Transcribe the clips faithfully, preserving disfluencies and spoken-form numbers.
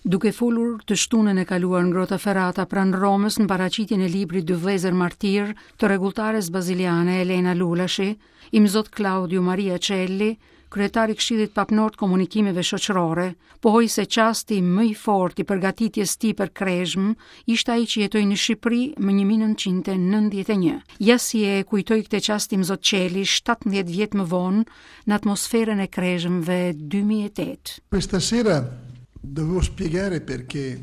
Duke folur të shtunën e kaluar në Grottaferrata pranë Romës në paraqitjen e librit Dy vëllezër martir të rregulltares baziliane Elena Lulashi, Imzot Claudio Maria Celli, kryetar i Këshillit Papnor të Komunikimeve Shoqërore, pohoi se çasti më i fortë i përgatitjes tij për krezhmë ishte ai që jetoi në Shqipëri më një mijë e nëntëqind e nëntëdhjetë e një. Ja si e kujtoi këtë çast Imzot Celli shtatëmbëdhjetë vjet më vonë në atmosferën e krezhmëve dy mijë e tetë. Questa sera dovevo spiegare perché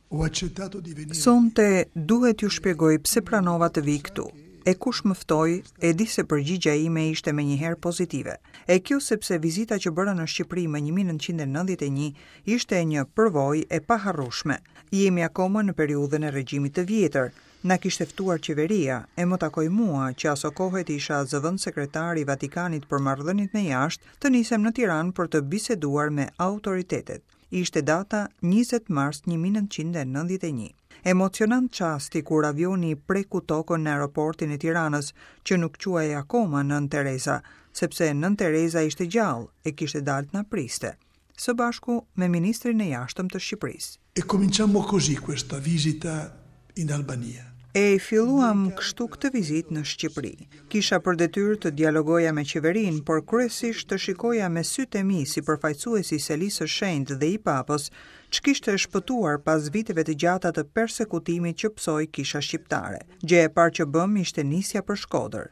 ho accettato di venire. Sonte duhet t'ju shpjegoj pse pranova të vi këtu. E kush më ftoi, e di se përgjigja ime ishte menjëherë pozitive. E kjo sepse vizita që bëra në Shqipëri më një mijë e nëntëqind e nëntëdhjetë e një ishte një përvojë e paharrueshme. Jemi akoma në periudhën e regjimit të vjetër. Na kishte ftuar qeveria, e më takoi mua, që asokohet isha zëvendës sekretar i Vatikanit për marrëdhëniet me jashtë, të nisem në Tiranë për të biseduar me autoritetet. Ishte data njëzet mars një mijë e nëntëqind e nëntëdhjetë e një. Emocionant çasti kur avioni preku tokën në aeroportin e Tiranës, që nuk quhej akoma Nën Tereza, sepse Nën Tereza ishte gjallë e kishte dalë të na priste, së bashku me ministrin e jashtëm të Shqipërisë. E cominciamo così questa visita in Albania. E filluam kështu këtë vizitë në Shqipëri. Kisha për detyrë të dialogoja me qeverinë, por kryesisht të shikoja me sytë e mi si përfaqësuesi i Selisë së Shenjtë dhe i Papës, ç'kishte shpëtuar pas viteve të gjata të persekutimit që psoi kisha shqiptare. Gjë e parë që bëm ishte nisja për Shkodër.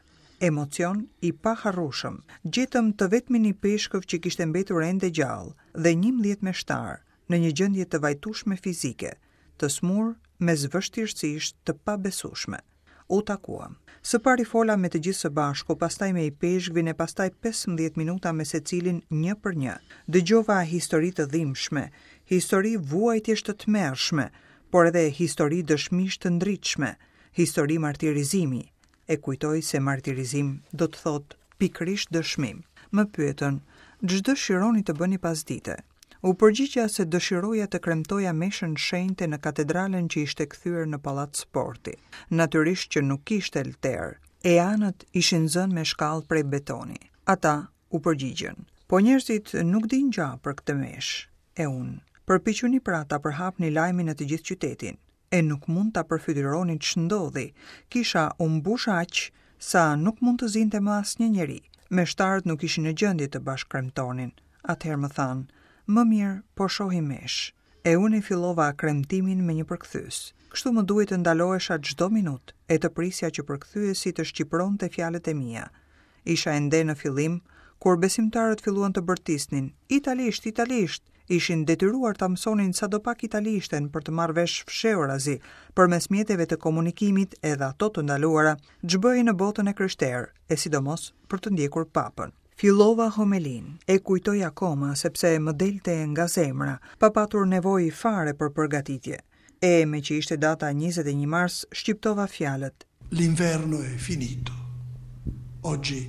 Emocion i paharrueshëm. Gjetëm të vetmin ipeshkëv që kishte mbetur ende gjallë dhe njëmbëdhjetë meshtar në një gjendje të vajtueshme fizike, të smur mes vështirësish të pabesueshme. U takuam. Së pari fola me të gjithë së bashku, pastaj me ipeshkvin e pastaj pesëmbëdhjetë minuta me secilin një për një. Dëgjova histori të dhimbshme, histori vuajtjesh të tmerrshme, por edhe histori dëshmish të ndritshme, histori martirizimi. E kujtoj se martirizim do të thotë pikërisht dëshmim. Më pyetën, ç'dëshironi të bëni pas dite? U përgjigja se dëshiroja të kremtoja meshën shenjte në katedralen që ishte kthyer në pallat sporti. Natyrisht që nuk kishte lter, e anët ishin zënë me shkallë prej betoni. Ata u përgjigjën, po njerëzit nuk dinë gjë për këtë meshë. E unë, përpiquni pra ta përhapni lajmin në të gjithë qytetin, e nuk mund ta përfytyroni ç'ndodhi. Kisha u mbush aq sa nuk mund të zinte më asnjë njeri. Meshtarët nuk ishin në gjendje të bashkëkremtonin. Atëherë më thanë, më mirë po shohim meshë. E unë e fillova kremtimin me një përkthyes. Kështu më duhej të ndalohesha çdo minutë e të prisja që përkthyesi të shqipronte fjalët e mia. Isha ende në fillim, kur besimtarët filluan të bërtisnin, italisht, italisht, ishin detyruar ta mësonin sadopak italishten për të marrë vesh fshehurazi përmes mjeteve të komunikimit edhe ato të ndaluara, ç'bëhej në botën e krishterë, e sidomos për të ndjekur papën. Fillova homelin, e kujtoj akoma sepse më delte nga zemra, pa patur nevojë fare për përgatitje. E me që ishte data njëzet e një mars, shqiptova fjalët. L'inverno è finito. Oggi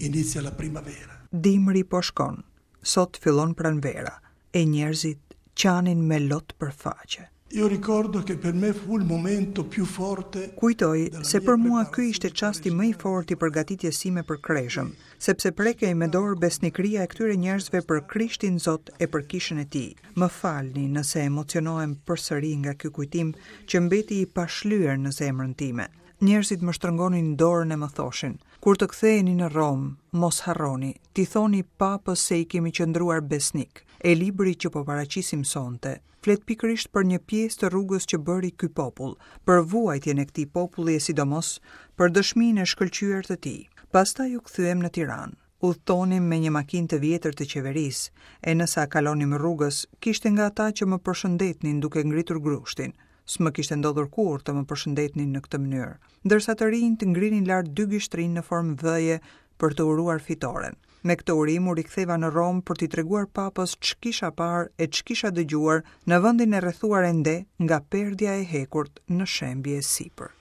inizia la primavera. Dimri po shkon. Sot fillon pranvera. E njerëzit qanin me lot për faqe. Io ricordo che per me fu il momento più forte Kujtoj della se mia për mua ky preparazione ishte çasti më i fortë i përgatitjes sime për kreshëm, sepse prekej me dorë besnikëria e këtyre njerëzve për Krishtin Zot e për kishën e tij. Më falni nëse emocionohem përsëri nga ky kujtim që mbeti i pashlyer në zemrën time. Njerëzit më shtrëngonin dorën e më thoshin, kur të ktheheni në Romë, mos harroni, t'i thoni papës se i kemi qëndruar besnik. E libri që po paraqisim sonte, flet pikërisht për një pjesë të rrugës që bëri ky popull, për vuajtjen e këtij populli e sidomos për dëshminë e shkëlqyer të tij. Pastaj u kthyem në Tiranë. Udhtonim me një makinë të vjetër të qeverisë, e nësa kalonim rrugës, kishte nga ata që më përshëndetnin duke ngritur grushtin. S'më kishte ndodhur kurrë të më përshëndetnin në këtë mënyrë, ndërsa të rinjt ngrinin lart dy gishtrinj në formë V-je për të uruar fitoren. Me këtë urim u riktheva në Romë për t'i treguar papës ç'kisha parë e ç'kisha dëgjuar në vendin e rrethuar ende nga perdja e hekurt në shembje e sipër.